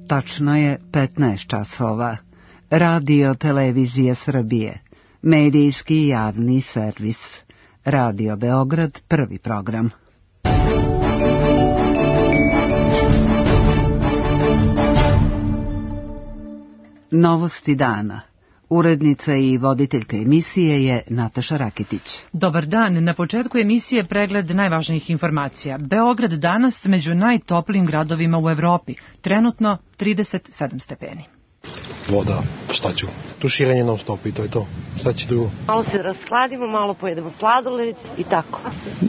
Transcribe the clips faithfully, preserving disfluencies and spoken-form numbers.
Tačno je petnaest časova. Radio Televizija Srbije. Medijski javni servis. Radio Beograd, prvi program. Novosti dana. Urednica i voditeljka emisije je Nataša Rakitić. Dobar dan. Na početku emisije pregled najvažnijih informacija. Beograd danas među najtoplijim gradovima u Evropi. Trenutno trideset sedam stepeni. Voda, šta ću? Tuširanje non stop i to je to. Šta će drugo? Malo se raskladimo, malo pojedemo sladoled i tako.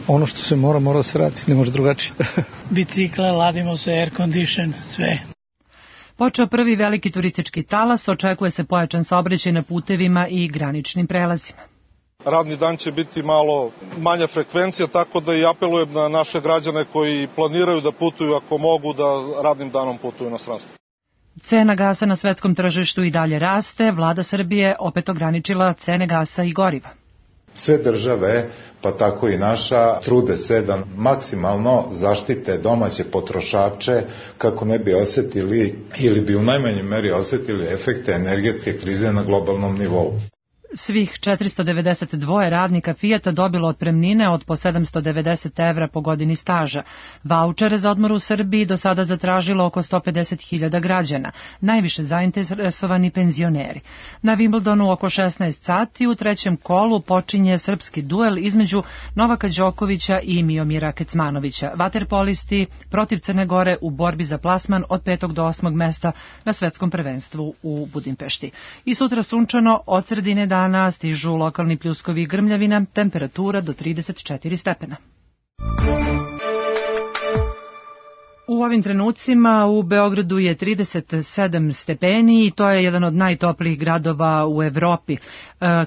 Ono što se mora, mora se radi, ne može drugačije. Bicikle, ladimo se, air condition, sve. Počeo prvi veliki turistički talas, očekuje se pojačan saobraćaj na putevima i graničnim prelazima. Radni dan će biti malo manja frekvencija, tako da i apelujem na naše građane koji planiraju da putuju, ako mogu, da radnim danom putuju u inostranstvo. Cena gasa na svetskom tržištu i dalje raste, vlada Srbije opet ograničila cene gasa i goriva. Sve države, pa tako i naša, trude se da maksimalno zaštite domaće potrošače kako ne bi osetili ili bi u najmanjoj meri osetili efekte energetske krize na globalnom nivou. Svih četiristo devedeset dva radnika Fijata dobilo otpremnine od po sedamsto devedeset evra po godini staža. Vaučere za odmor u Srbiji do sada zatražilo oko sto pedeset hiljada građana, najviše zainteresovani penzioneri. Na Wimbledonu oko šesnaest sati u trećem kolu počinje srpski duel između Novaka Đokovića i Miomira Kecmanovića. Vaterpolisti protiv Crne Gore u borbi za plasman od petog do osmog mesta na svetskom prvenstvu u Budimpešti. I sutra sunčano, od sredine dana stižu lokalni pljuskovi i grmljavina, temperatura do trideset četiri stepena. U ovim trenucima u Beogradu je trideset sedam stepeni i to je jedan od najtoplijih gradova u Evropi. E,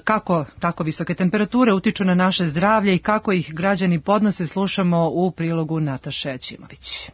kako tako visoke temperature utiču na naše zdravlje i kako ih građani podnose, slušamo u prilogu Nataše Ćimović.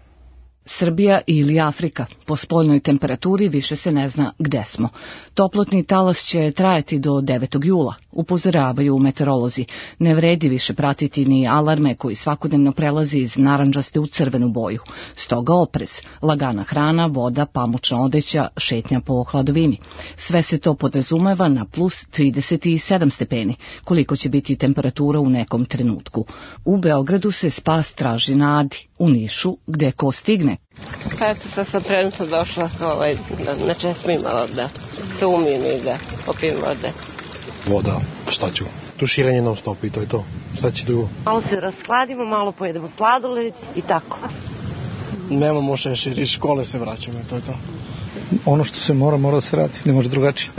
Srbija ili Afrika. Po spoljnoj temperaturi više se ne zna gde smo. Toplotni talas će trajati do devetog jula, upozoravaju meteorolozi. Ne vredi više pratiti ni alarme koji svakodnevno prelazi iz narandžaste u crvenu boju. Stoga oprez, lagana hrana, voda, pamučna odeća, šetnja po hladovini. Sve se to podrazumeva na plus trideset sedam stepeni, koliko će biti temperatura u nekom trenutku. U Beogradu se spas traži na Adi, u Nišu gde ko stigne. Pa eto, sad sam trenutno došla ovaj, na, na česmi malo da se umijem i da popijem vode. Voda, šta ću? Tuširanje non stop i to je to. Šta će drugo? Malo se raskladimo, malo pojedemo sladoled i tako. Nemamo šešir, iz škole se vraćamo i to je to. Ono što se mora, mora se radi, ne može drugačije.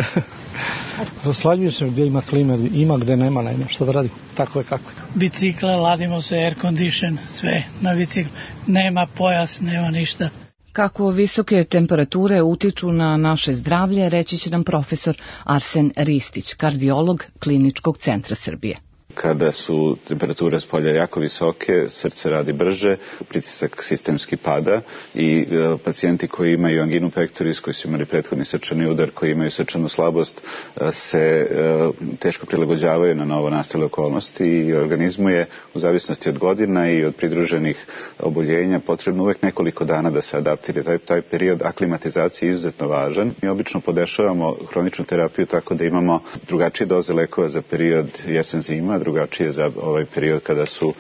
Raslađuju se gdje ima klima, ima gdje nema, nema što da radi, tako je kako je. Bicikle, ladimo se, air condition, sve na biciklu. Nema pojas, nema ništa. Kako visoke temperature utiču na naše zdravlje, reći će nam profesor Arsen Ristić, kardiolog Kliničkog centra Srbije. Kada su temperature spolja jako visoke, srce radi brže, pritisak sistemski pada i e, pacijenti koji imaju anginu pectoris, koji su imali prethodni srčani udar, koji imaju srčanu slabost, e, se e, teško prilagođavaju na novo nastale okolnosti i organizmu je u zavisnosti od godina i od pridruženih oboljenja potrebno uvek nekoliko dana da se adaptira. Taj, taj period aklimatizacije je izuzetno važan. Mi obično podešavamo hroničnu terapiju tako da imamo drugačije doze lekova za period jesen-zima, drugačije za ovaj period kada su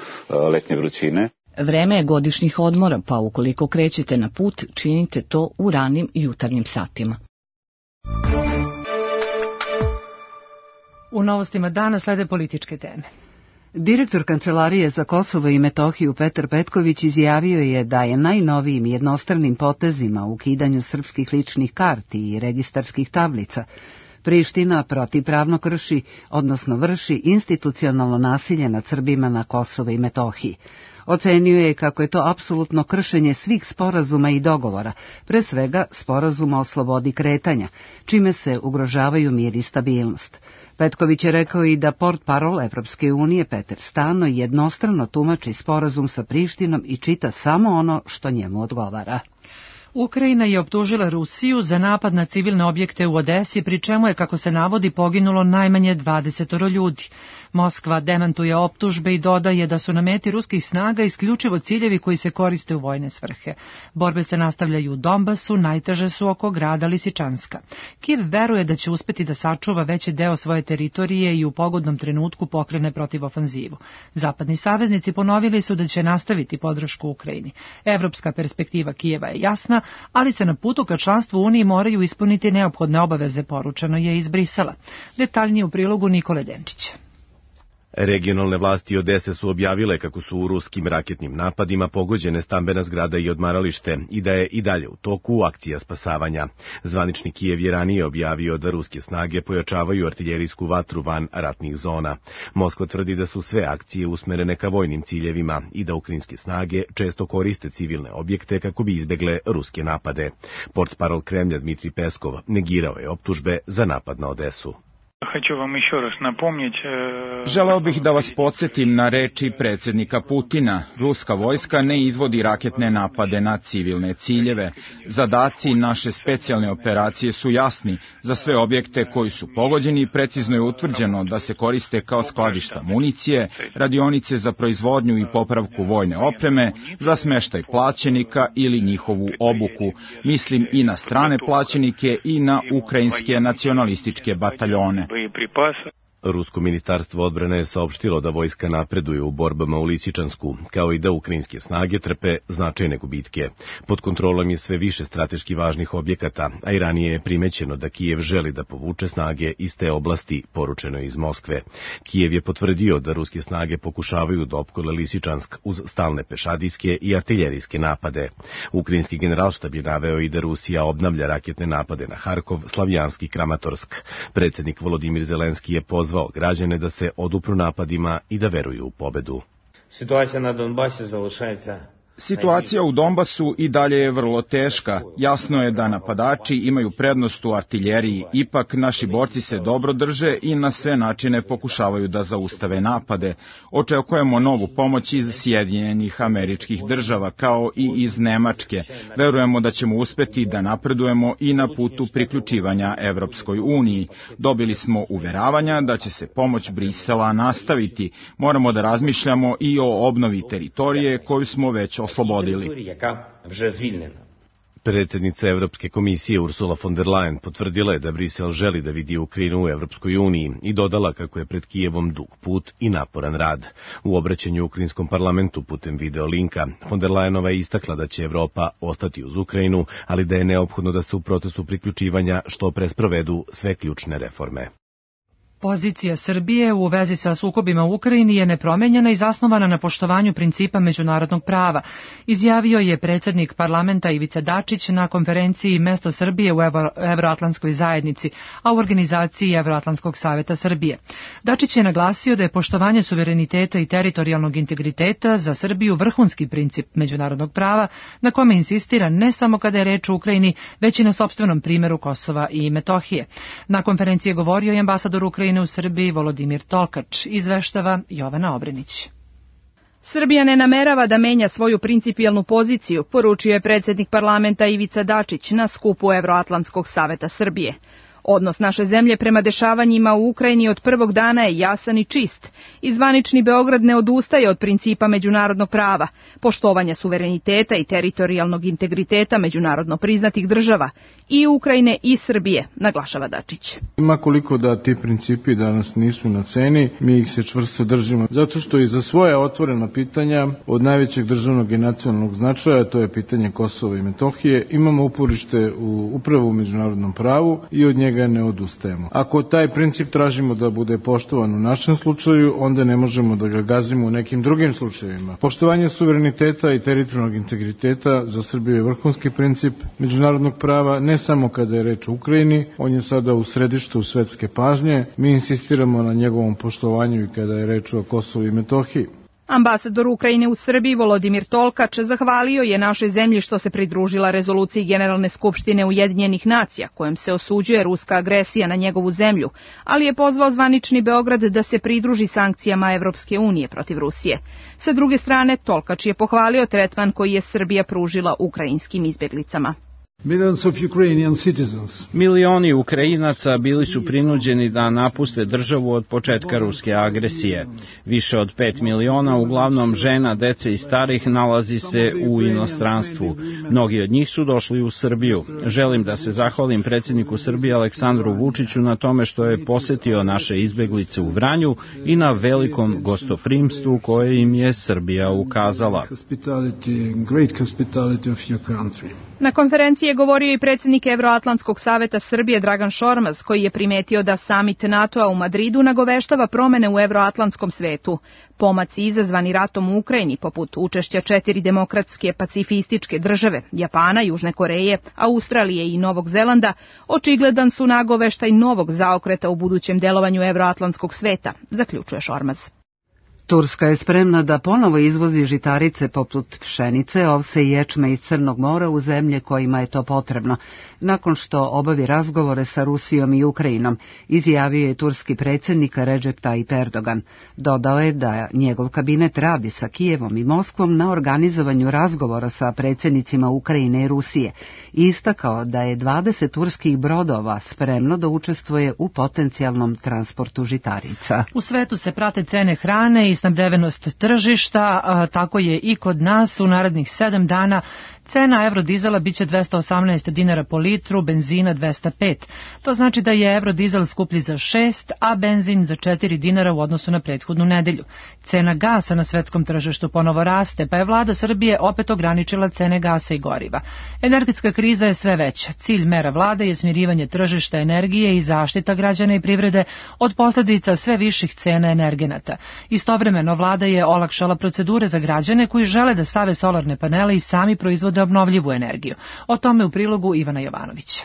letnje vrućine. Vreme je godišnjih odmora, pa ukoliko krećete na put, činite to u ranim jutarnjim satima. U novostima dana slede političke teme. Direktor Kancelarije za Kosovo i Metohiju Petar Petković izjavio je da je najnovijim jednostranim potezima u ukidanju srpskih ličnih karti i registarskih tablica Priština protivpravno krši, odnosno vrši institucionalno nasilje nad Srbima na Kosovo i Metohiji. Ocenio je kako je to apsolutno kršenje svih sporazuma i dogovora, pre svega sporazuma o slobodi kretanja, čime se ugrožavaju mir i stabilnost. Petković je rekao i da portparol Evropske unije Peter Stano jednostrano tumači sporazum sa Prištinom i čita samo ono što njemu odgovara. Ukrajina je optužila Rusiju za napad na civilne objekte u Odesi, pri čemu je, kako se navodi, poginulo najmanje dvadeset ljudi. Moskva demantuje optužbe i dodaje da su na meti ruskih snaga isključivo ciljevi koji se koriste u vojne svrhe. Borbe se nastavljaju u Donbasu, najteže su oko grada Lisičanska. Kijev veruje da će uspeti da sačuva veći deo svoje teritorije i u pogodnom trenutku pokrene protiv ofanzivu. Zapadni saveznici ponovili su da će nastaviti podršku Ukrajini. Evropska perspektiva Kijeva je jasna, ali se na putu ka članstvu Uniji moraju ispuniti neophodne obaveze, poručeno je iz Brisela. Detaljnije u prilogu Nikole Denčića. Regionalne vlasti Odese su objavile kako su u ruskim raketnim napadima pogođene stambena zgrada i odmaralište i da je i dalje u toku akcija spasavanja. Zvanični Kijev je ranije objavio da ruske snage pojačavaju artiljerijsku vatru van ratnih zona. Moskva tvrdi da su sve akcije usmerene ka vojnim ciljevima i da ukrajinske snage često koriste civilne objekte kako bi izbegle ruske napade. Portparol Kremlja Dmitrij Peskov negirao je optužbe za napad na Odesu. Želeo bih da vas podsjetim na reči predsjednika Putina. Ruska vojska ne izvodi raketne napade na civilne ciljeve. Zadaci naše specijalne operacije su jasni. Za sve objekte koji su pogođeni precizno je utvrđeno da se koriste kao skladišta municije, radionice za proizvodnju i popravku vojne opreme, za smeštaj plaćenika ili njihovu obuku. Mislim i na strane plaćenike i na ukrajinske nacionalističke bataljone. Rusko ministarstvo odbrane je saopštilo da vojska napreduje u borbama u Lisičansku, kao i da ukrajinske snage trpe značajne gubitke. Pod kontrolom je sve više strateški važnih objekata, a i ranije je primećeno da Kijev želi da povuče snage iz te oblasti, poručeno je iz Moskve. Kijev je potvrdio da ruske snage pokušavaju da opkole Lisičansk uz stalne pešadijske i artiljerijske napade. Ukrajinski generalštab je naveo i da Rusija obnavlja raketne napade na Harkov, Slavjanski i Kramatorsk. Predsjednik Volodimir Zelenski je pozvao zvao građane da se odupru napadima i da veruju u pobedu. Situacija na Donbasi залишається Situacija u Donbasu i dalje je vrlo teška. Jasno je da napadači imaju prednost u artiljeriji. Ipak naši borci se dobro drže i na sve načine pokušavaju da zaustave napade. Očekujemo novu pomoć iz Sjedinjenih Američkih Država kao i iz Nemačke. Verujemo da ćemo uspeti da napredujemo i na putu priključivanja Evropskoj uniji. Dobili smo uveravanja da će se pomoć Brisela nastaviti. Moramo da razmišljamo i o obnovi teritorije koju smo već oslobodili. Predsjednica Evropske komisije Ursula von der Leyen potvrdila je da Brisel želi da vidi Ukrajinu u Evropskoj uniji i dodala kako je pred Kijevom dug put i naporan rad. U obraćanju Ukrajinskom parlamentu putem video linka, von der Leyenova je istakla da će Evropa ostati uz Ukrajinu, ali da je neophodno da se u procesu priključivanja što pre sprovedu sve ključne reforme. Pozicija Srbije u vezi sa sukobima u Ukrajini je nepromenjena i zasnovana na poštovanju principa međunarodnog prava, izjavio je predsjednik parlamenta Ivica Dačić na konferenciji Mesto Srbije u Evro, Evroatlantskoj zajednici, a u organizaciji Evroatlantskog saveta Srbije. Dačić je naglasio da je poštovanje suvereniteta i teritorijalnog integriteta za Srbiju vrhunski princip međunarodnog prava, na kome insistira ne samo kada je reč o Ukrajini, već i na sopstvenom primjeru Kosova i Metohije. Na konferenciji je govorio i ambasador Ukrajine u Srbiji Volodimir Tolkač, izveštava Jovana Obrenić. Srbija ne namerava da menja svoju principijelnu poziciju, poručio je predsjednik parlamenta Ivica Dačić na skupu Evroatlantskog saveta Srbije. Odnos naše zemlje prema dešavanjima u Ukrajini od prvog dana je jasan i čist. I zvanični Beograd ne odustaje od principa međunarodnog prava, poštovanja suvereniteta i teritorijalnog integriteta međunarodno priznatih država i Ukrajine i Srbije, naglašava Dačić. Ima koliko da ti principi danas nisu na ceni, mi ih se čvrsto držimo, zato što i za svoje otvorena pitanja od najvećeg državnog i nacionalnog značaja, to je pitanje Kosova i Metohije, imamo uporište u, upravo u međunarodnom pravu i od njega ne odustajemo. Ako taj princip tražimo da bude poštovan u našem slučaju, onda ne možemo da ga gazimo u nekim drugim slučajevima. Poštovanje suvereniteta i teritorijalnog integriteta za Srbiju je vrhunski princip međunarodnog prava, ne samo kada je reč o Ukrajini, on je sada u središtu svetske pažnje, mi insistiramo na njegovom poštovanju i kada je reč o Kosovu i Metohiji. Ambasador Ukrajine u Srbiji Volodimir Tolkač zahvalio je našoj zemlji što se pridružila rezoluciji Generalne skupštine Ujedinjenih nacija kojom se osuđuje ruska agresija na njegovu zemlju, ali je pozvao zvanični Beograd da se pridruži sankcijama Evropske unije protiv Rusije. Sa druge strane, Tolkač je pohvalio tretman koji je Srbija pružila ukrajinskim izbjeglicama. Milioni Ukrajinaca bili su prinuđeni da napuste državu od početka ruske agresije. Više od pet miliona, uglavnom žena, dece i starih, nalazi se u inostranstvu. Mnogi od njih su došli u Srbiju. Želim da se zahvalim predsjedniku Srbije Aleksandru Vučiću na tome što je posetio naše izbeglice u Vranju i na velikom gostoprimstvu koje im je Srbija ukazala. Na konferenciji je govorio i predsjednik Evroatlantskog saveta Srbije Dragan Šormaz, koji je primetio da samit NATO-a u Madridu nagoveštava promene u evroatlantskom svetu. Pomaci izazvani ratom u Ukrajini, poput učešća četiri demokratske pacifističke države, Japana, Južne Koreje, Australije i Novog Zelanda, očigledan su nagoveštaj novog zaokreta u budućem delovanju evroatlantskog sveta, zaključuje Šormaz. Turska je spremna da ponovo izvozi žitarice poput pšenice, ovse i ječma iz Crnog mora u zemlje kojima je to potrebno. Nakon što obavi razgovore sa Rusijom i Ukrajinom, izjavio je turski predsjednik Recep Tayyip Erdogan. Dodao je da njegov kabinet radi sa Kijevom i Moskvom na organizovanju razgovora sa predsjednicima Ukrajine i Rusije i istakao da je dvadeset turskih brodova spremno da učestvuje u potencijalnom transportu žitarica. U svetu se prate cene hrane i snabdevenost tržišta, a tako je i kod nas. U narednih sedam dana cena eurodizela biće dvesta osamnaest dinara po litru, benzina dvesta pet. To znači da je eurodizel skuplji za šest, a benzin za četiri dinara u odnosu na prethodnu nedelju. Cena gasa na svetskom tržištu ponovo raste, pa je vlada Srbije opet ograničila cene gasa i goriva. Energetska kriza je sve veća. Cilj mera vlade je smirivanje tržišta energije i zaštita građana i privrede od posljedica sve viših cena energenata. Istovremeno vlada je olakšala procedure za građane koji žele da stave solarne panele i sami proizvode obnovljivu energiju. O tome u prilogu Ivana Jovanovića.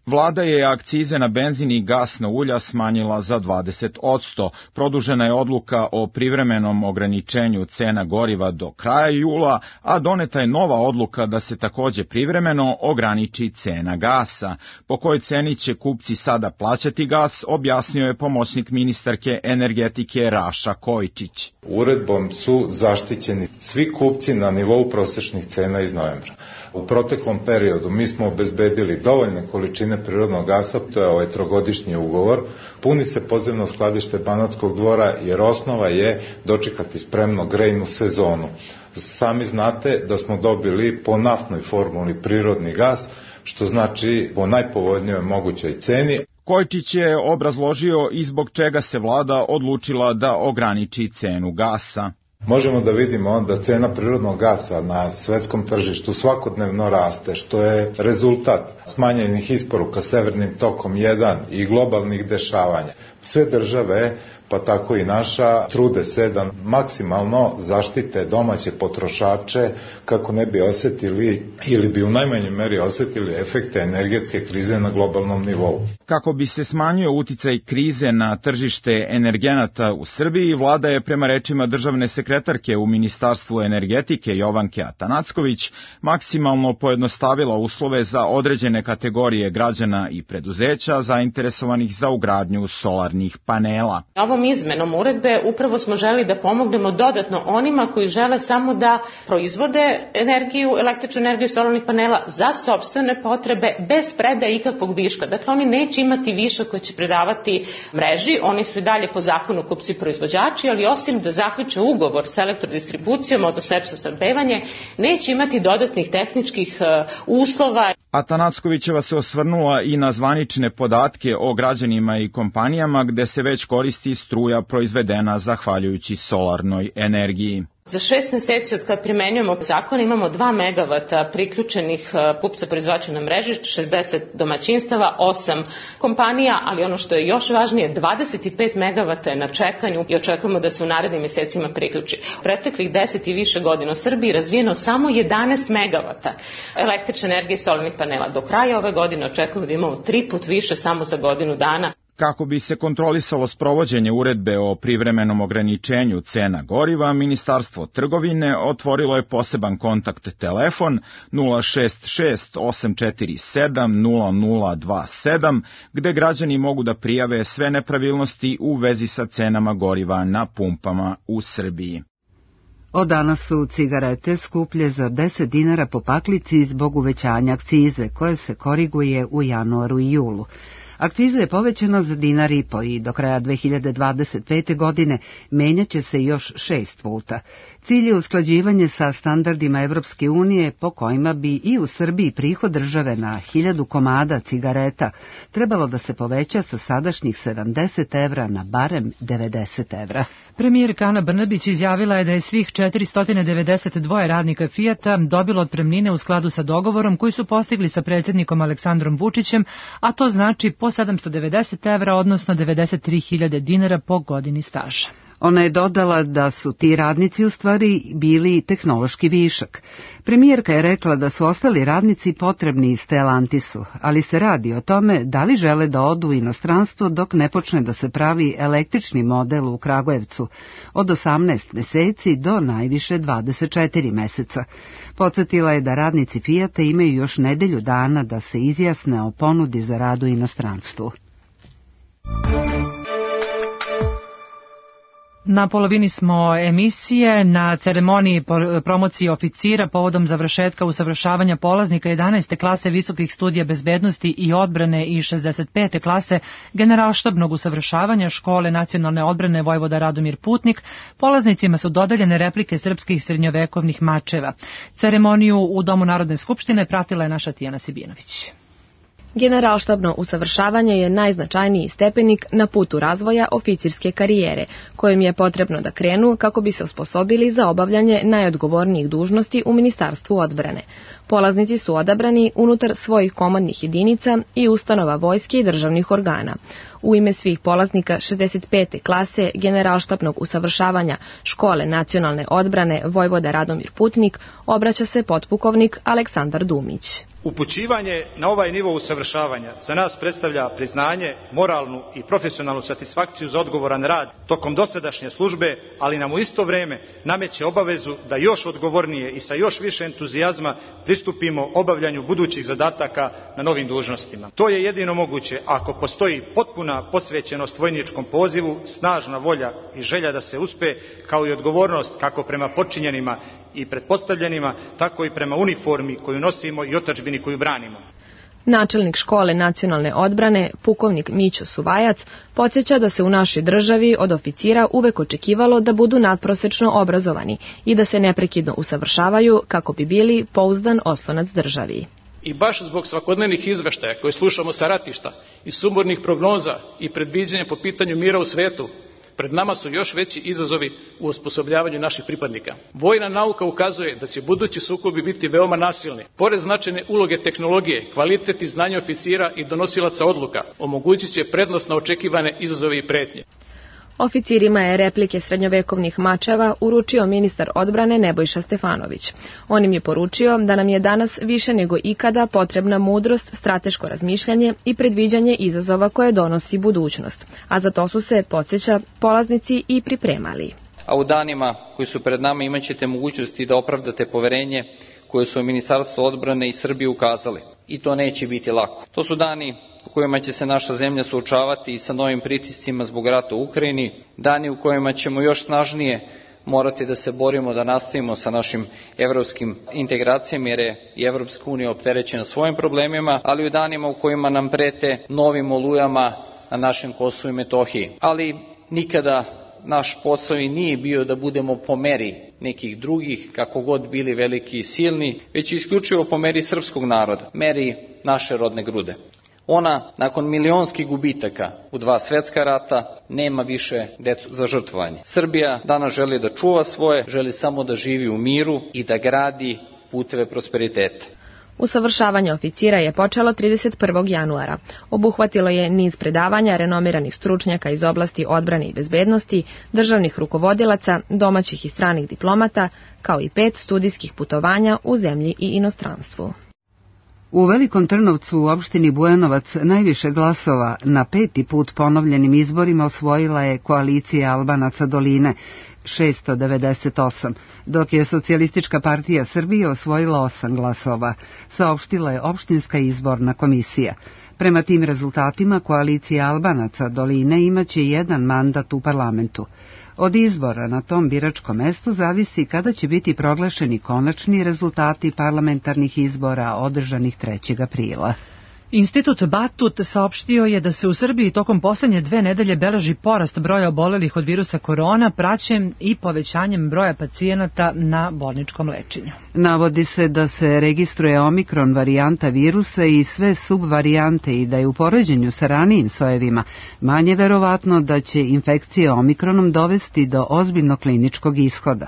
Vlada je akcize na benzin i gasna ulja smanjila za dvadeset posto. Produžena je odluka o privremenom ograničenju cena goriva do kraja jula, a doneta je nova odluka da se takođe privremeno ograniči cena gasa. Po kojoj ceni će kupci sada plaćati gas, objasnio je pomoćnik ministarke energetike Raša Kojičić. Uredbom su zaštićeni svi kupci na nivou prosečnih cena iz novembra. U proteklom periodu mi smo obezbedili dovoljne količine prirodnog gasa, to je ovaj trogodišnji ugovor, puni se podzemno skladište Banatskog dvora jer osnova je dočekati spremno grejnu sezonu. Sami znate da smo dobili po naftnoj formuli prirodni gas, što znači po najpovoljnijoj mogućoj ceni. Kojičić je obrazložio i zbog čega se vlada odlučila da ograniči cenu gasa. Možemo da vidimo onda cena prirodnog gasa na svetskom tržištu svakodnevno raste, što je rezultat smanjenih isporuka Severnim tokom jedan i globalnih dešavanja. Sve države, pa tako i naša, trude se da maksimalno zaštite domaće potrošače kako ne bi osetili ili bi u najmanjoj meri osetili efekte energetske krize na globalnom nivou. Kako bi se smanjio uticaj krize na tržište energenata u Srbiji, vlada je prema rečima državne sekretarke u Ministarstvu energetike Jovanke Atanacković maksimalno pojednostavila uslove za određene kategorije građana i preduzeća zainteresovanih za ugradnju solarnih panela. Ovom izmenom uredbe upravo smo želi da pomognemo dodatno onima koji žele samo da proizvode energiju, električnu energiju solarnih panela za sopstvene potrebe bez predaje ikakvog viška. Dakle, oni neće imati višak koji će predavati mreži, oni su i dalje po zakonu kupci proizvođači, ali osim da zaključe ugovor sa elektrodistribucijom, odnosno EPS snabdevanje, neće imati dodatnih tehničkih uslova. Atanackovićeva se osvrnula i na zvanične podatke o građanima i kompanijama gde se već koristi struja proizvedena zahvaljujući solarnoj energiji. Za šest meseci od kad primenjujemo zakon imamo dva megavata priključenih kupca proizvođača na mreži, šezdeset domaćinstava, osam kompanija, ali ono što je još važnije, dvadeset pet megavata je na čekanju i očekujemo da se u narednim mesecima priključi. U preteklih deset i više godina u Srbiji razvijeno samo jedanaest megavata električne energije i solarnih panela. Do kraja ove godine očekujemo da imamo tri put više samo za godinu dana. Kako bi se kontrolisalo sprovođenje uredbe o privremenom ograničenju cena goriva, Ministarstvo trgovine otvorilo je poseban kontakt telefon nula šest šest osam četiri sedam nula nula dva sedam, gde građani mogu da prijave sve nepravilnosti u vezi sa cenama goriva na pumpama u Srbiji. Od danas su cigarete skuplje za deset dinara po paklici zbog uvećanja akcize, koje se koriguje u januaru i julu. Akciza je povećana za dinar i po i do kraja dve hiljade dvadeset pete. godine menjaće se još šest puta. Cilj je usklađivanje sa standardima Evropske unije po kojima bi i u Srbiji prihod države na hiljadu komada cigareta trebalo da se poveća sa sadašnjih sedamdeset evra na barem devedeset evra. Premijerka Ana Brnabić izjavila je da je svih četiristo devedeset dva radnika Fijata dobilo otpremnine u skladu sa dogovorom koji su postigli sa predsjednikom Aleksandrom Vučićem, a to znači po sedamsto devedeset evra, odnosno devedeset tri hiljade dinara po godini staža. Ona je dodala da su ti radnici u stvari bili tehnološki višak. Premijerka je rekla da su ostali radnici potrebni i Stellantisu, ali se radi o tome da li žele da odu u inostranstvo dok ne počne da se pravi električni model u Kragujevcu od osamnaest meseci do najviše dvadeset četiri meseca. Podsjetila je da radnici Fijata imaju još nedelju dana da se izjasne o ponudi za rad u inostranstvu. Na polovini smo emisije. Na ceremoniji promocije oficira povodom završetka usavršavanja polaznika jedanaeste klase visokih studija bezbednosti i odbrane i šezdeset pete klase generalštabnog usavršavanja Škole nacionalne odbrane Vojvoda Radomir Putnik, polaznicima su dodeljene replike srpskih srednjovekovnih mačeva. Ceremoniju u Domu Narodne skupštine pratila je naša Tijana Sibinović. Generalštabno usavršavanje je najznačajniji stepenik na putu razvoja oficirske karijere, kojim je potrebno da krenu kako bi se osposobili za obavljanje najodgovornijih dužnosti u Ministarstvu odbrane. Polaznici su odabrani unutar svojih komandnih jedinica i ustanova vojske i državnih organa. U ime svih polaznika šezdeset pete klase generalštabnog usavršavanja Škole nacionalne odbrane Vojvoda Radomir Putnik obraća se potpukovnik Aleksandar Dumić. Upućivanje na ovaj nivo usavršavanja za nas predstavlja priznanje, moralnu i profesionalnu satisfakciju za odgovoran rad tokom dosadašnje službe, ali nam u isto vreme nameće obavezu da još odgovornije i sa još više entuzijazma pristupimo obavljanju budućih zadataka na novim dužnostima. To je jedino moguće ako postoji potpuna posvećenost vojničkom pozivu, snažna volja i želja da se uspe, kao i odgovornost kako prema počinjenima i pretpostavljenima, tako i prema uniformi koju nosimo i otadžbini koju branimo. Načelnik Škole nacionalne odbrane, pukovnik Mićo Suvajac, podsjeća da se u našoj državi od oficira uvek očekivalo da budu nadprosečno obrazovani i da se neprekidno usavršavaju kako bi bili pouzdan oslonac državi. I baš zbog svakodnevnih izveštaja koje slušamo sa ratišta i sumornih prognoza i predviđanja po pitanju mira u svetu, pred nama su još veći izazovi u osposobljavanju naših pripadnika. Vojna nauka ukazuje da će budući sukobi biti veoma nasilni. Pored značajne uloge tehnologije, kvalitet i znanje oficira i donosilaca odluka omogućit će prednost na očekivane izazove i pretnje. Oficirima je replike srednjovekovnih mačeva uručio ministar odbrane Nebojša Stefanović. On im je poručio da nam je danas više nego ikada potrebna mudrost, strateško razmišljanje i predviđanje izazova koje donosi budućnost, a za to su se, podsjeća, polaznici i pripremali. A u danima koji su pred nama imat ćete mogućnosti da opravdate poverenje koje su Ministarstvo odbrane i Srbije ukazali. I to neće biti lako. To su dani u kojima će se naša zemlja suočavati i sa novim pritiscima zbog rata u Ukrajini, dani u kojima ćemo još snažnije morati da se borimo da nastavimo sa našim evropskim integracijama, jer je i Evropska unija opterećena svojim problemima, ali u danima u kojima nam prete novim olujama na našem Kosovu i Metohiji. Ali nikada naš posao i nije bio da budemo po meri nekih drugih, kako god bili veliki i silni, već isključivo po meri srpskog naroda, meri naše rodne grude. Ona, nakon milionskih gubitaka u dva svetska rata, nema više decu za žrtvovanje. Srbija danas želi da čuva svoje, želi samo da živi u miru i da gradi puteve prosperiteta. Usavršavanje oficira je počelo trideset prvog januara. Obuhvatilo je niz predavanja renomiranih stručnjaka iz oblasti odbrane i bezbednosti, državnih rukovodilaca, domaćih i stranih diplomata, kao i pet studijskih putovanja u zemlji i inostranstvu. U Velikom Trnovcu u opštini Bujanovac najviše glasova na peti put ponovljenim izborima osvojila je koalicija Albanaca Doline, šesto devedeset osam, dok je Socijalistička partija Srbije osvojila osam glasova, saopštila je opštinska izborna komisija. Prema tim rezultatima koalicija Albanaca Doline imaće jedan mandat u parlamentu. Od izbora na tom biračkom mestu zavisi kada će biti proglašeni konačni rezultati parlamentarnih izbora održanih trećeg aprila. Institut Batut saopštio je da se u Srbiji tokom poslednje dve nedelje beleži porast broja obolelih od virusa korona, praćen i povećanjem broja pacijenata na bolničkom lečenju. Navodi se da se registruje omikron varijanta virusa i sve subvarijante i da je u poređenju sa ranijim sojevima manje verovatno da će infekcija omikronom dovesti do ozbiljnog kliničkog ishoda.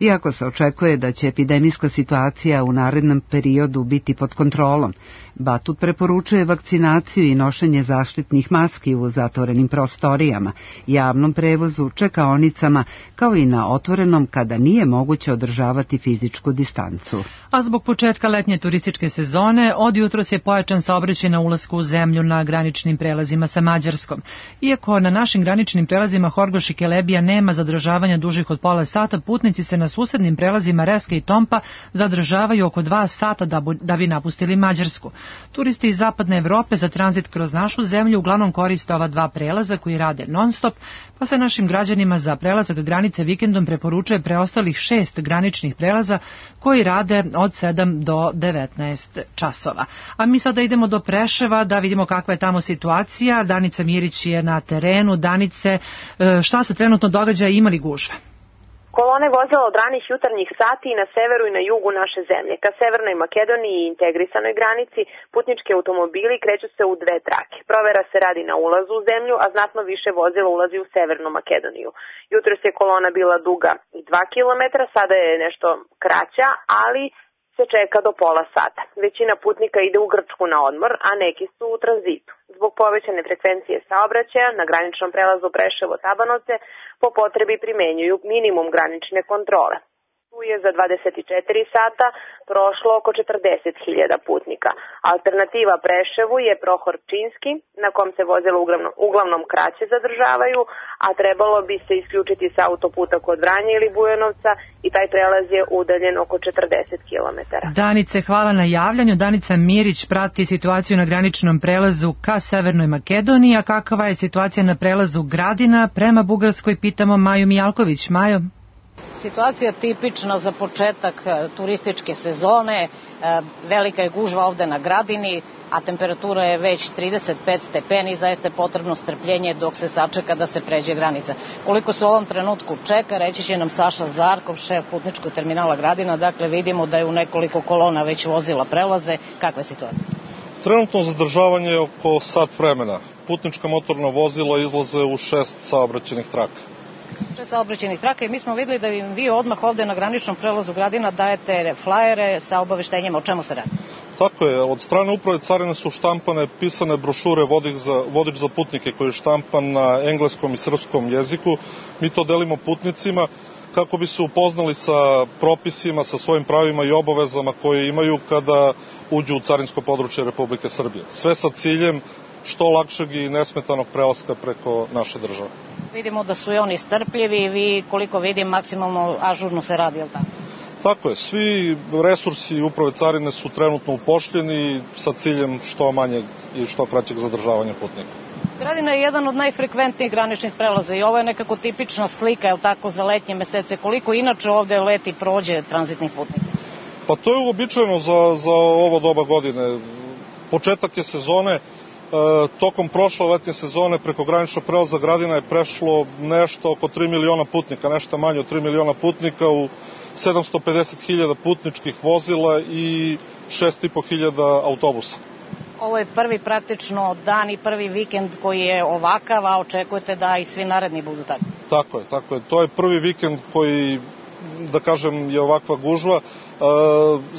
Iako se očekuje da će epidemijska situacija u narednom periodu biti pod kontrolom, Batut preporučuje vakcinaciju i nošenje zaštitnih maski u zatvorenim prostorijama, javnom prevozu, čekaonicama, kao i na otvorenom kada nije moguće održavati fizičku distancu. A zbog početka letnje turističke sezone, od jutros je pojačan saobraćaj na ulasku u zemlju na graničnim prelazima sa Mađarskom. Iako na našim graničnim prelazima Horgoš i Kelebija nema zadržavanja dužih od pola sata, putnici se na susednim prelazima Reske i Tompa zadržavaju oko dva sata da, da bi napustili Mađarsku. Turisti iz zapadne Evrope za tranzit kroz našu zemlju uglavnom koriste ova dva prelaza koji rade non-stop, pa se našim građanima za prelazak granice vikendom preporučuje preostalih šest graničnih prelaza koji rade od sedam do devetnaest časova. A mi sada idemo do Preševa da vidimo kakva je tamo situacija. Danica Mirić je na terenu. Danice, šta se trenutno događa i ima li gužve? Kolone vozila od ranih jutarnjih sati i na severu i na jugu naše zemlje. Ka Severnoj Makedoniji i integrisanoj granici putnički automobili kreću se u dve trake. Provera se radi na ulazu u zemlju, a znatno više vozila ulazi u Severnu Makedoniju. Jutros je kolona bila duga i dva kilometra, sada je nešto kraća, ali se čeka do pola sata. Većina putnika ide u Grčku na odmor, a neki su u tranzitu. Zbog povećane frekvencije saobraćaja na graničnom prelazu Preševo-Tabanovce po potrebi primenjuju minimum granične kontrole. Tu je za dvadeset četiri sata prošlo oko četrdeset hiljada putnika. Alternativa Preševu je Prohor Pčinski, na kom se vozila uglavnom, uglavnom kraće zadržavaju, a trebalo bi se isključiti sa autoputa kod Vranja ili Bujanovca i taj prelaz je udaljen oko četrdeset kilometara. Danice, hvala na javljanju. Danica Mirić prati situaciju na graničnom prelazu ka Severnoj Makedoniji, a kakva je situacija na prelazu Gradina prema Bugarskoj, pitamo Maju Mijalković. Majo? Situacija tipična za početak turističke sezone, velika je gužva ovde na Gradini, a temperatura je već trideset pet stepeni, zaista je potrebno strpljenje dok se sačeka da se pređe granica. Koliko se u ovom trenutku čeka, reći će nam Saša Zarkov, šef putničkog terminala Gradina, dakle vidimo da je u nekoliko kolona već vozila prelaze. Kakva je situacija? Trenutno zadržavanje je oko sat vremena. Putnička motorna vozila izlaze u šest saobraćenih traka. Šest saobraćenih traka i mi smo videli da vi odmah ovde na graničnom prelazu Gradina dajete flajere sa obaveštenjima o čemu se radi. Tako je, od strane uprave carine su štampane pisane brošure vodič za, vodič za putnike koji je štampan na engleskom i srpskom jeziku. Mi to delimo putnicima kako bi se upoznali sa propisima, sa svojim pravima i obavezama koje imaju kada uđu u carinsko područje Republike Srbije. Sve sa ciljem što lakšeg i nesmetanog prelaska preko naše države. Vidimo da su i oni strpljivi i vi, koliko vidim, maksimalno ažurno se radi, je li tako? Tako je, svi resursi uprave carine su trenutno upošljeni sa ciljem što manjeg i što kraćeg zadržavanja putnika. Gradina je jedan od najfrekventnijih graničnih prelaza i ovo je nekako tipična slika, je li tako, za letnje mesece. Koliko inače ovde leti prođe tranzitnih putnika? Pa to je uobičajeno za, za ovo doba godine. Početak je sezone. E, tokom prošle letnje sezone preko graničnog prelaza Gradina je prešlo nešto oko tri miliona putnika, nešto manje od tri miliona putnika u sedamsto pedeset hiljada putničkih vozila i šest i po hiljada autobusa. Ovo je prvi praktično dan i prvi vikend koji je ovakav, a očekujete da i svi naredni budu tako? Tako je, tako je. To je prvi vikend koji, da kažem, je ovakva gužva. E,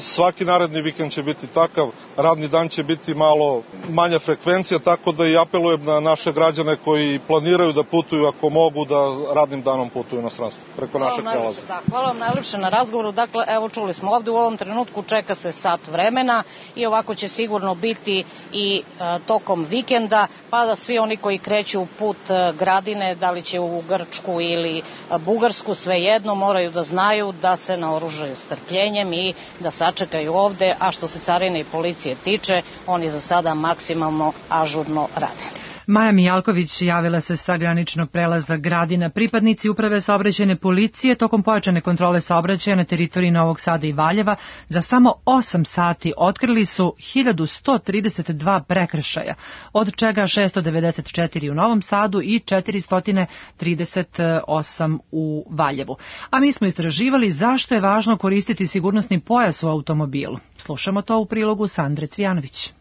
svaki naredni vikend će biti takav, radni dan će biti malo manja frekvencija, tako da i apelujem na naše građane koji planiraju da putuju, ako mogu, da radnim danom putuju na stranstvo preko našeg prelaza. Hvala vam najlepše na razgovoru. Dakle, evo čuli smo ovde u ovom trenutku čeka se sat vremena i ovako će sigurno biti i e, tokom vikenda, pa da svi oni koji kreću put e, Gradine, da li će u Grčku ili e, Bugarsku, svejedno moraju da znaju da se naoružaju strpljenjem i da sačekaju ovde, a što se carine i policije tiče, oni za sada maksimalno ažurno rade. Maja Mijalković javila se sa graničnog prelaza Gradina. Pripadnici uprave saobraćajne policije tokom pojačane kontrole saobraćaja na teritoriji Novog Sada i Valjeva za samo osam sati otkrili su hiljadu sto trideset dva prekršaja, od čega šessto devedeset četiri u Novom Sadu i četiristo trideset osam u Valjevu. A mi smo istraživali zašto je važno koristiti sigurnosni pojas u automobilu. Slušamo to u prilogu Sandre Cvijanović.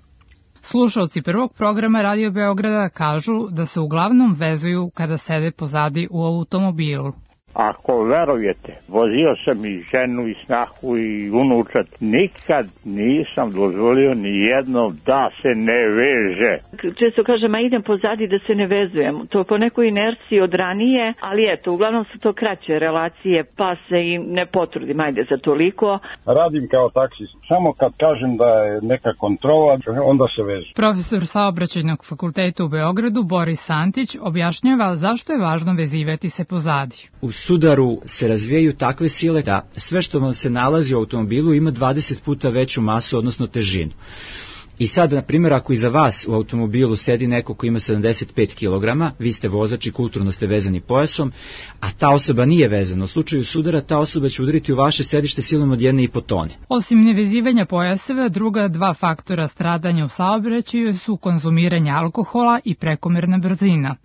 Slušalci prvog programa Radio Beograda kažu da se uglavnom vezuju kada sede pozadi u automobilu. Ako verujete, vozio sam i ženu i snahu i unučat, nikad nisam dozvolio ni jednom da se ne veže. Često kažem, a idem pozadi da se ne vezujem. To po nekoj inerciji od ranije, ali eto, uglavnom su to kraće relacije, pa se i ne potrudim, ajde za toliko. Radim kao taksist. Samo kad kažem da je neka kontrola, onda se vežem. Profesor Saobraćajnog fakulteta u Beogradu, Boris Santić, objašnjava zašto je važno vezivati se pozadi. U sudaru se razvijaju takve sile da sve što vam se nalazi u automobilu ima dvadeset puta veću masu, odnosno težinu. I sad, na primjer, ako iza vas u automobilu sedi neko ko ima sedamdeset pet kilograma, vi ste vozač i kulturno ste vezani pojasom, a ta osoba nije vezana. U slučaju sudara ta osoba će udariti u vaše sedište silom od jedne i po tone. Osim nevezivanja pojaseva, druga dva faktora stradanja u saobraćaju su konzumiranje alkohola i prekomerna brzina.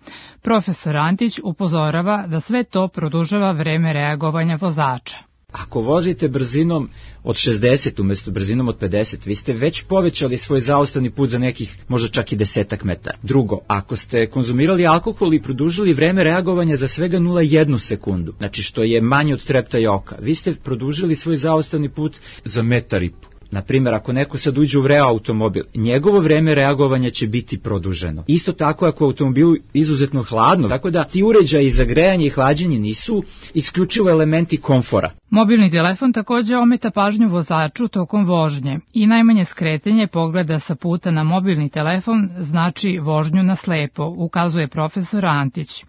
Profesor Antić upozorava da sve to produžava vreme reagovanja vozača. Ako vozite brzinom od šezdeset umjesto brzinom od pedeset, vi ste već povećali svoj zaustavni put za nekih možda čak i desetak metara. Drugo, ako ste konzumirali alkohol i produžili vreme reagovanja za svega nula zarez jednu sekundu, znači što je manje od treptaja oka, vi ste produžili svoj zaustavni put za metar i po. Naprimjer, ako neko sad uđe u vreo automobil, njegovo vreme reagovanja će biti produženo. Isto tako ako je automobil izuzetno hladno, tako da ti uređaji za grejanje i hlađenje nisu isključivo elementi komfora. Mobilni telefon također ometa pažnju vozaču tokom vožnje i najmanje skretanje pogleda sa puta na mobilni telefon znači vožnju na slepo, ukazuje profesor Antić.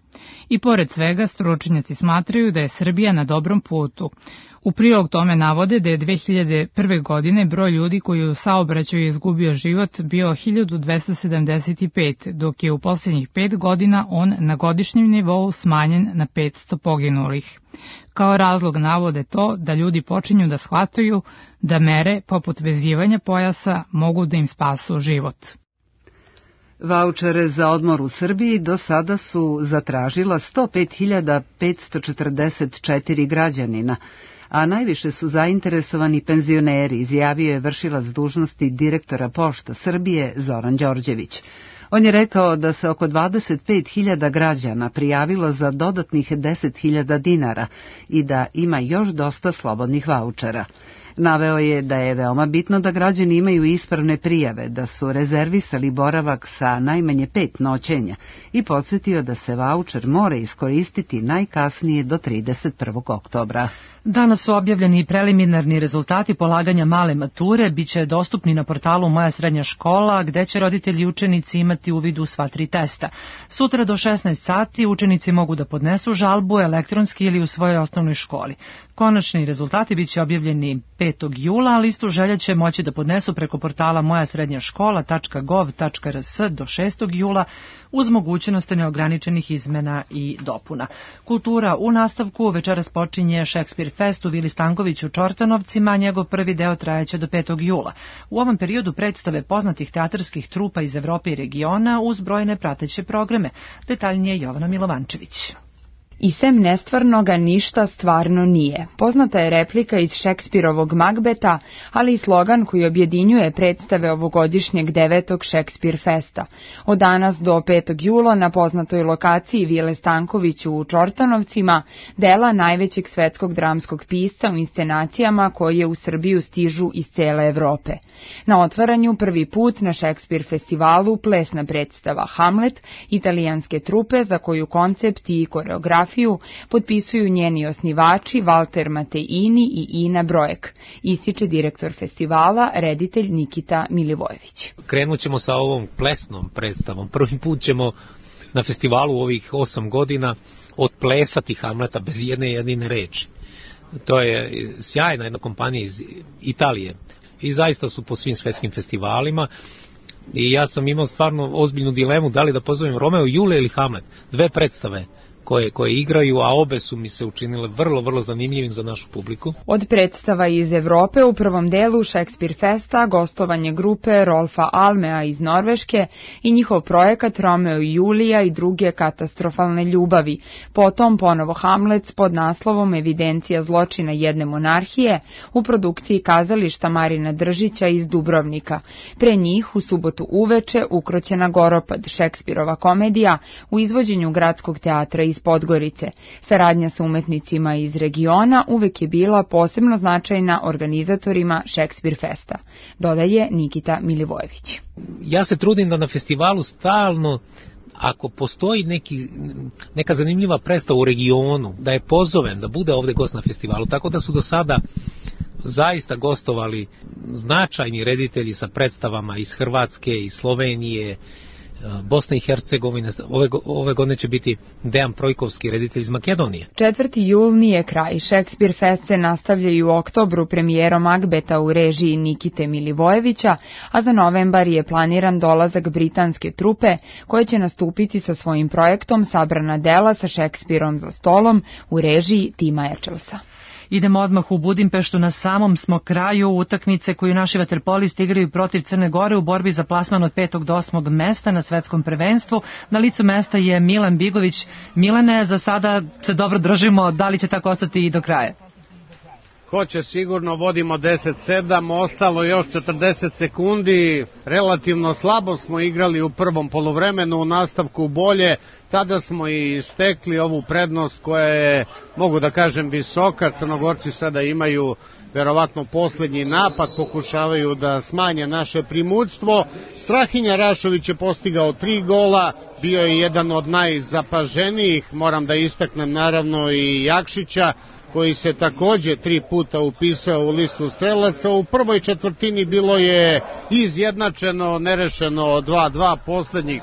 I pored svega, stručnjaci smatraju da je Srbija na dobrom putu. U prilog tome navode da je dve hiljade prve. godine broj ljudi koji u saobraćaju izgubio život bio hiljadu dvesta sedamdeset pet, dok je u posljednjih pet godina on na godišnjem nivou smanjen na petsto poginulih. Kao razlog navode to da ljudi počinju da shvataju da mere poput vezivanja pojasa mogu da im spasu život. Vaučere za odmor u Srbiji do sada su zatražila sto pet hiljada petsto četrdeset četiri građanina, a najviše su zainteresovani penzioneri, izjavio je vršilac dužnosti direktora Pošta Srbije Zoran Đorđević. On je rekao da se oko dvadeset pet hiljada građana prijavilo za dodatnih deset hiljada dinara i da ima još dosta slobodnih vaučera. Naveo je da je veoma bitno da građani imaju ispravne prijave, da su rezervisali boravak sa najmanje pet noćenja i podsjetio da se vaučer mora iskoristiti najkasnije do trideset prvog oktobra. Danas su objavljeni preliminarni rezultati polaganja male mature, bit će dostupni na portalu Moja srednja škola, gde će roditelji i učenici imati uvid u sva tri testa. Sutra do šesnaest sati učenici mogu da podnesu žalbu elektronski ili u svojoj osnovnoj školi. Konačni rezultati bit će objavljeni petog jula, a listu želja će moći da podnesu preko portala moja srednja škola tačka gov tačka rs do šestog jula uz mogućnost neograničenih izmena i dopuna. Kultura u nastavku, večeras počinje Šekspir Fest u Vili Stankoviću u Čortanovcima, njegov prvi deo trajeće do petog jula. U ovom periodu predstave poznatih teatarskih trupa iz Evrope i regiona uz brojne prateće programe. Detaljnije Jovana Milovančević. I sem nestvarnoga ništa stvarno nije. Poznata je replika iz Šekspirovog Magbeta, ali i slogan koji objedinjuje predstave ovogodišnjeg devetog Šekspir Festa. Od danas do petog jula na poznatoj lokaciji Vile Stankoviću u Čortanovcima dela najvećeg svetskog dramskog pisca u inscenacijama koje u Srbiju stižu iz cele Evrope. Na otvaranju prvi put na Šekspir festivalu plesna predstava Hamlet, italijanske trupe za koju koncept i koreografiju potpisuju njeni osnivači Valter Mateini i Ina Brojek, ističe direktor festivala, reditelj Nikita Milivojević. Krenut ćemo sa ovom plesnom predstavom. Prvi put ćemo na festivalu u ovih osam godina odplesati Hamleta bez jedne jedine reči. To je sjajna jedna kompanija iz Italije i zaista su po svim svetskim festivalima. I ja sam imao stvarno ozbiljnu dilemu da li da pozovem Romeo i Julija ili Hamlet. Dve predstave koje, koje igraju, a obe su mi se učinile vrlo, vrlo zanimljivim za našu publiku. Od predstava iz Evrope u prvom delu Šekspir Festa gostovanje grupe Rolfa Almea iz Norveške i njihov projekat Romeo i Julija i druge katastrofalne ljubavi. Potom ponovo Hamlet pod naslovom Evidencija zločina jedne monarhije u produkciji kazališta Marina Držića iz Dubrovnika. Pre njih u subotu uveče Ukroćena Goropad, Šekspirova komedija u izvođenju Gradskog teatra iz Podgorice. Saradnja sa umetnicima iz regiona uvek je bila posebno značajna organizatorima Šekspir Festa, dodaje Nikita Milivojević. Ja se trudim da na festivalu stalno, ako postoji neki, neka zanimljiva predstava u regionu, da je pozovem, da bude ovde gost na festivalu, tako da su do sada zaista gostovali značajni reditelji sa predstavama iz Hrvatske, iz Slovenije, Bosne i Hercegovine. Ove, ove godine će biti Dejan Projkovski, reditelj iz Makedonije. četvrti jul nije kraj. Šekspir Fest se nastavlja i u oktobru premijerom Magbeta u režiji Nikite Milivojevića, a za novembar je planiran dolazak britanske trupe koje će nastupiti sa svojim projektom Sabrana dela sa Šekspirom za stolom u režiji Tima Ečelsa. Idemo odmah u Budimpeštu, na samom smo kraju utakmice koju naši vaterpolisti igraju protiv Crne Gore u borbi za plasman od petog do osmog mesta na svetskom prvenstvu. Na licu mesta je Milan Bigović. Milane, za sada se dobro držimo, da li će tako ostati i do kraja? Hoće sigurno, vodimo deset sedam, ostalo još četrdeset sekundi, relativno slabo smo igrali u prvom poluvremenu, u nastavku bolje, tada smo i stekli ovu prednost koja je, mogu da kažem, visoka. Crnogorci sada imaju verovatno poslednji napad, pokušavaju da smanje naše primućstvo. Strahinja Rašović je postigao tri gola, bio je jedan od najzapaženijih, moram da istaknem naravno i Jakšića, koji se takođe tri puta upisao u listu strelaca. U prvoj četvrtini bilo je izjednačeno, nerešeno dva dva, poslednjih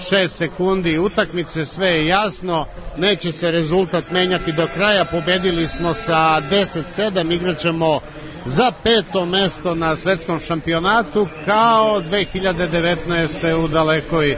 šest sekundi utakmice, sve je jasno, neće se rezultat menjati do kraja, pobedili smo sa deset sedam, igraćemo za peto mesto na svetskom šampionatu kao dve hiljade devetnaeste. u dalekoj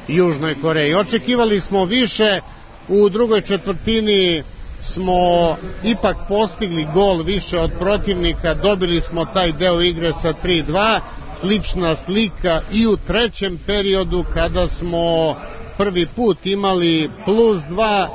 Južnoj Koreji. Očekivali smo više, u drugoj četvrtini smo ipak postigli gol više od protivnika, dobili smo taj deo igre sa tri dva, slična slika i u trećem periodu kada smo prvi put imali plus dva,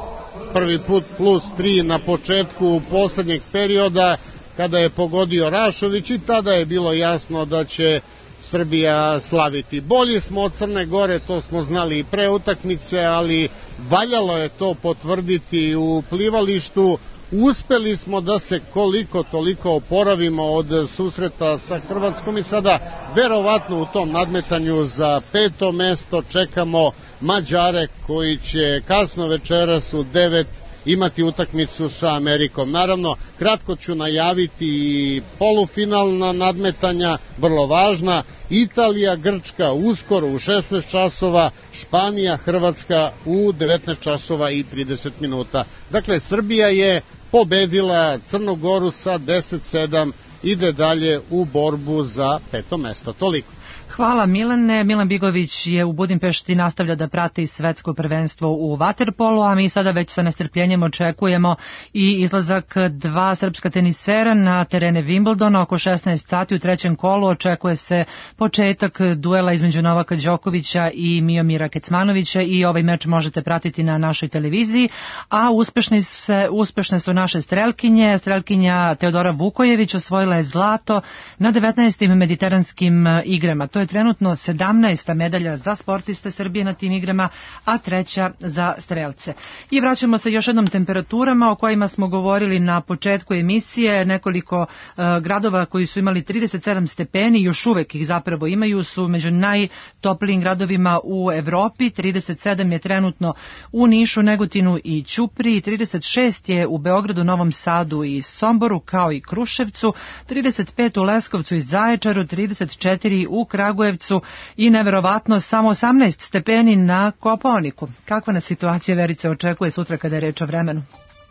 prvi put plus tri na početku poslednjeg perioda kada je pogodio Rašović i tada je bilo jasno da će Srbija slaviti. Bolji smo od Crne Gore, to smo znali i pre utakmice, ali valjalo je to potvrditi u plivalištu. Uspeli smo da se koliko toliko oporavimo od susreta sa Hrvatskom i sada verovatno u tom nadmetanju za peto mesto čekamo Mađare koji će kasno večeras u devet imati utakmicu sa Amerikom. Naravno, kratko ću najaviti i polufinalna nadmetanja, vrlo važna. Italija, Grčka uskoro u šesnaest časova, Španija, Hrvatska u devetnaest časova i trideset minuta. Dakle, Srbija je pobedila Crnu Goru sa deset sedam, ide dalje u borbu za peto mesto. Toliko. Hvala Milane. Milan Bigović je u Budimpešti, nastavlja da prati svetsko prvenstvo u vaterpolu, a mi sada već sa nestrpljenjem očekujemo i izlazak dva srpska tenisera na terene Wimbledona oko šesnaest sati u trećem kolu. Očekuje se početak duela između Novaka Đokovića i Miomira Kecmanovića i ovaj meč možete pratiti na našoj televiziji, a uspešne, se, uspešne su naše strelkinje. Strelkinja Teodora Vukojević osvojila je zlato na devetnaestim mediteranskim igrama. To je trenutno sedamnaesta medalja za sportiste Srbije na tim igrama, a treća za strelce. I vraćamo se još jednom temperaturama o kojima smo govorili na početku emisije. Nekoliko uh, gradova koji su imali trideset sedam stepeni, još uvek ih zapravo imaju, su među najtoplijim gradovima u Evropi. trideset sedam je trenutno u Nišu, Negotinu i Ćupriji, trideset šest je u Beogradu, Novom Sadu i Somboru, kao i Kruševcu, trideset pet u Leskovcu i Zaječaru, trideset četiri u Kragujevcu i neverovatno samo osamnaest stepeni na Kopaoniku. Kakva nas situacija, Verice, očekuje sutra kada je reč o vremenu?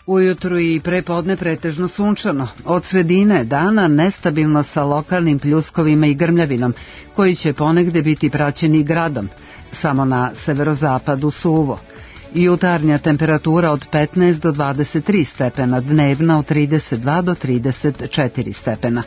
Ujutru i prepodne pretežno sunčano. Od sredine dana nestabilno sa lokalnim pljuskovima i grmljavinom, koji će ponegde biti praćeni gradom. Samo na severozapadu suvo. Jutarnja temperatura od petnaest do dvadeset tri stepena, dnevna od trideset dva do trideset četiri stepena.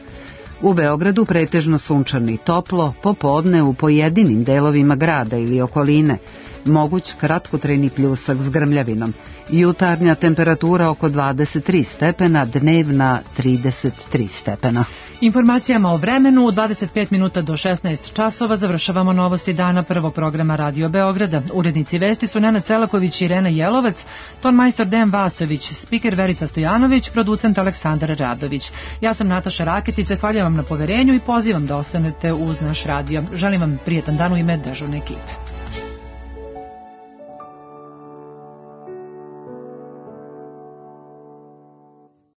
U Beogradu pretežno sunčano i toplo, popodne u pojedinim delovima grada ili okoline. Moguć kratkotrajni pljusak s grmljavinom. Jutarnja temperatura oko dvadeset tri stepena, dnevna trideset tri stepena. Informacijama o vremenu u dvadeset pet minuta do šesnaest časova završavamo novosti dana prvog programa Radio Beograda. Urednici vesti su Nenad Celaković i Irena Jelovac, ton majstor Dejan Vasović, spiker Verica Stojanović, producent Aleksandar Radović. Ja sam Nataša Raketić, zahvaljujem vam na poverenju i pozivam da ostanete uz naš radio. Želim vam prijetan dan u ime dežurne ekipe.